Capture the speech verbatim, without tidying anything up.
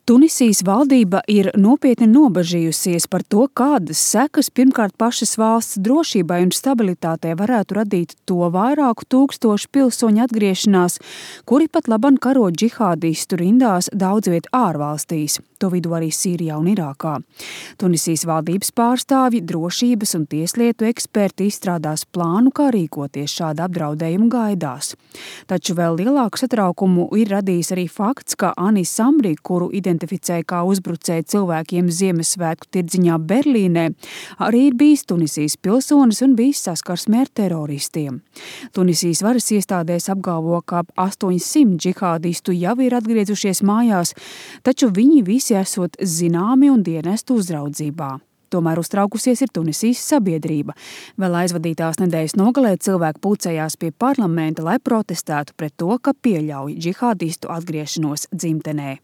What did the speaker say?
Tunisijas valdība ir nopietni nobažījusies par to, kādas sekas pirmkārt pašas valsts drošībai un stabilitātei varētu radīt to vairāku tūkstošu pilsoņu atgriešanās, kuri pat laban karo džihādistu rindās daudz viet ārvalstīs, to vidū arī Sīrijā un Irākā. Tunisijas valdības pārstāvji, drošības un tieslietu eksperti izstrādās plānu, kā rīkoties šāda apdraudējuma gaidās. Taču vēl lielāku satraukumu ir radījis arī fakts, ka Anis Amri, kuru identificēja kā uzbrucēju cilvēkiem Ziemassvētku tirdziņā Berlīnē, arī ir bijis Tunisijas pilsonis un bijis saskarsmē ar teroristiem. Tunisijas varas iestādēs apgalvo, ka ap astoņsimt džihādistu jau ir atgriezušies mājās, taču viņi visi esot zināmi un dienestu uzraudzībā. Tomēr uztraukusies ir Tunisijas sabiedrība. Vēl aizvadītās nedēļas nogalē cilvēki pulcējās pie parlamenta, lai protestētu pret to, ka pieļauj džihādistu atgriešanos dzimtenē.